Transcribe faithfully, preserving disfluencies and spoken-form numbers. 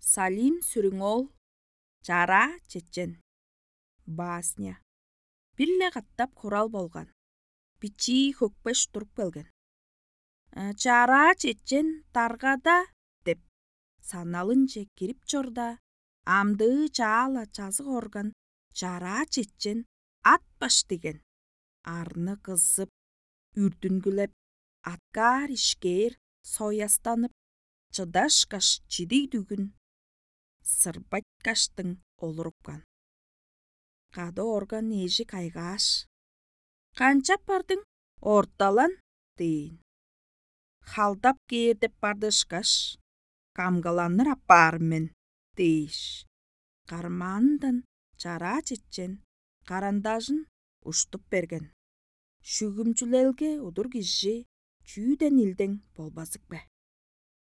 Салим Сүрүң-оол. «Чараа чечен». Басня. Бир-ле катап хурал болган. Бичии хөкпеш туруп келген. «Чараа чечен даргада» деп, саналынче кирип чорда, амдыы чаала чазык орган чараа чечен ат баш диген. Арны кызып, үрдүнгүлеп, аткаар-ишкээр соястанып, чыдашкаш чидиг дүгүн сырбайткаштың олурупкан. Кады орган эжи кайгааш: «Канчап бардың, орталан?» – дээн. «Халдап кээр деп барды ышкаш, камгаланыр аппаар мен» – дээш, кармаанындан чараа чечен карандажын уштуп берген. Шүгүмчүлелге удур кижи чүүден илдең болбазык бе?